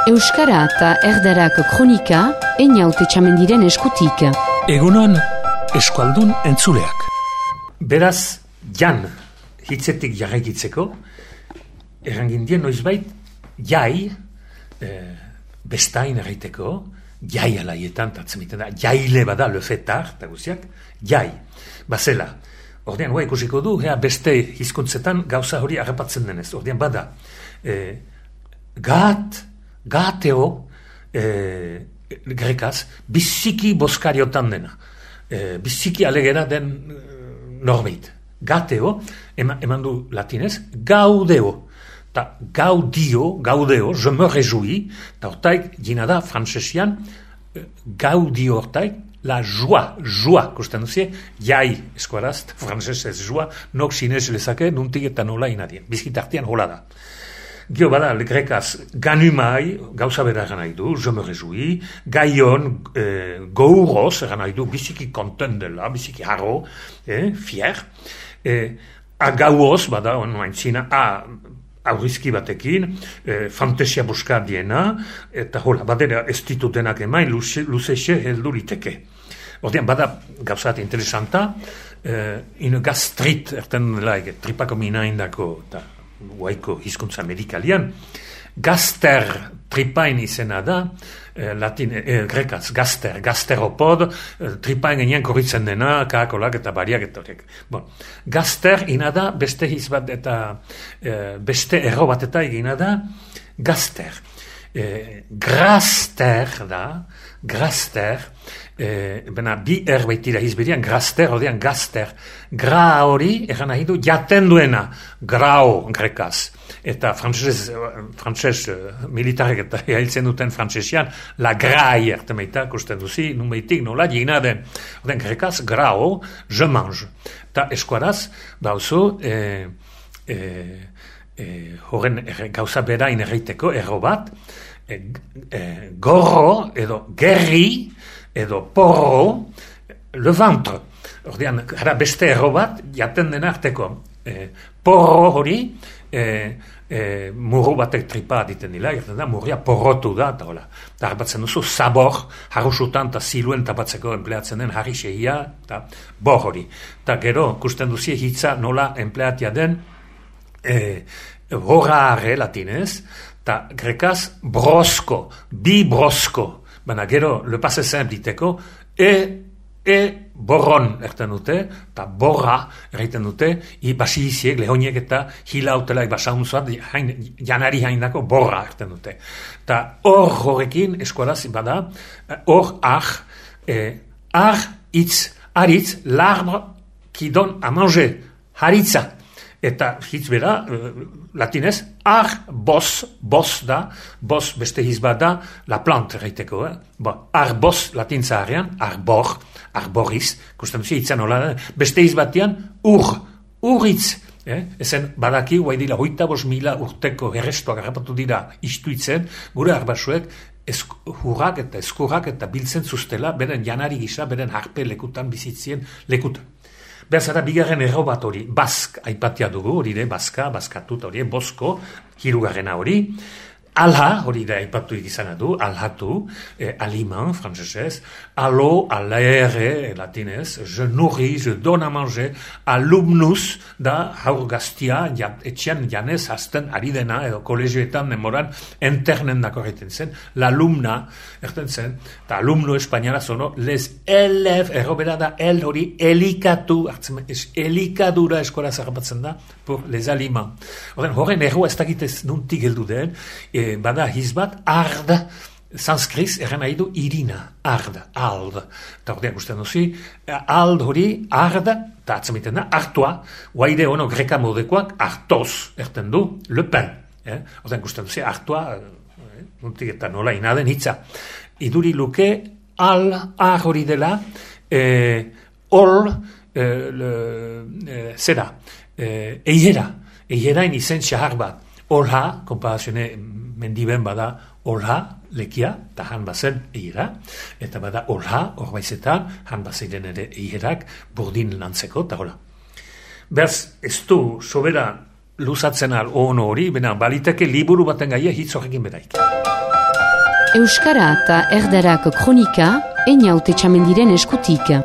Euskara eta erdarak kronika, Einaute Txamendiren eskutik. Egunon, eskualdun entzuleak. Beraz, jan hitzetik jarraikitzeko, errangindien noizbait, jai, bestain erraiteko, jai alaietan, tatzemiten da, jaile bada lefetar, eta guztiak, jai, bazela. Ordean, ikusiko du, beste hizkuntzetan gauza hori harrapatzen denez. Ordean, bada, gateo, grekaz, biziki boskariotan dena. Biziki alegera den norbeit. Gateo, eman du latinez, gaudeo. Ta gaudeo, je me réjouis, ta hortaik, gina da, frantzesian, gaudio hortaik, la joa, kusten duzie, jai eskuaraz, frantzesez joa, nok sinez lezake, nuntik eta nola inadien. Bizkitartian hola da. Gio bada, grekaz, ganumai, gauza bera eran nahi du, je me réjouis, gaion, gouros, eran nahi du, biziki konten dela, biziki harro, fier, agauoz, bada, onoaintzina, aurrizki batekin, fantasia buska diena, eta hola, badera ez ditutenak emain, luzexe heldu liteke. Ordean, bada, gauzat interesanta, ino gastrit, erten dela, tripako minaindako, eta guaiko hizkuntza medikalian, gaster tripain izena da, grekaz, gasteropod, tripain genian korritzen dena, kaakolak eta bariak eta horiek. Bon, gaster ina da, beste hizbat eta beste erro bat eta egina da, gaster. Graster da, graster, bena bi erbaitira hizbirian, graster, ordean gaster. Gra hori, eran nahi du, jaten duena, grao grekaz. Eta frantses militarek eta hiltzen duten frantsesian, la grai ertemeita, kusten duzi, numeitik nola gina den. Ordean grekaz, grao, je mange. Ta eskuaraz, bauzu, horren gauza berain erreiteko, erro bat, gorro, edo gerri, edo porro, le ventre. Ordean, gara beste erro bat, jaten den arteko, porro hori, murru batek tripa diten dila, gertzen da, murria porrotu da, eta hola. Eta harbatzen duzu, sabor, harrusutan eta ziluen tapatzeko empleatzen den harri xehia, eta bor hori. Eta gero, kusten duzie hitza nola empleatia den, horare latinez, eta grekaz, brosko, bi brosko, baina gero, le passe simple diteko, borron erten dute, eta borra erraiten dute, basi iziek, lehoniek eta hilautela basaunzuat, janari haindako borra erten dute. Eta hor horrekin, eskualaz, bada, hor aritz, l'arbre qui donne à manger, haritza. Eta hitz bera, latinez, bos da, bos beste hizbat da, la plante erraiteko. Arbos latintza harean, arboriz, kusten duzia hitzan hola, beste hizbatian, urritz. Ezen badaki, guai dira, 8.000 urteko errestuak harrapatu dira istuitzen, gure arbasuek, hurrak eta eskurrak eta biltzen zuztela, beren janari gisa, beren harpe lekutan, bizitzien lekutan. Berzara, bigarren erro bat hori, bask aipatia dugu, hori de, baskatut hori, bosko, hirugarrena hori, alha, hori da aipatu izana du, alhatu, aliment, frantzesez, alo, alaere, latinez, je nourris, je donne à manger, alumnus, da, haur gaztia, etxian janez, hasten ari dena, edo kolegioetan demoran, internen dako egiten zen, l'alumna, erten zen, eta alumno espainiara zono, les élèves, errobera da, hori, elikatu, elikadura eskola zarrapatzen da, pour les aliments. Horren erroa ez dakitez nuntik heldu den, bada hizbat, ard, sanskriz, erren nahi du irina, ard. Eta ordean guztien duzi, ald hori, ard, eta atzamiten da, artoa, guaide ono greka modekoak, artoz, erten du, le pen. Ordean guztien duzi, artoa, nuntik eta nola inaden hitza. Iduri luke, ar hori dela, zera, eierain izen xahar bat. Olha, komparazione mendiben bada olha, lekia, eta han bazen eiera, eta bada olha, horbaizetan, han bazeiren ere eierak, burdin lantzeko, eta hola. Berz, ez du, sobera luzatzen al ono hori, bena baliteke liburu baten gaia hitz horrekin bedaik. Euskara eta erdarak kronika, Einaute Txamendiren eskutik.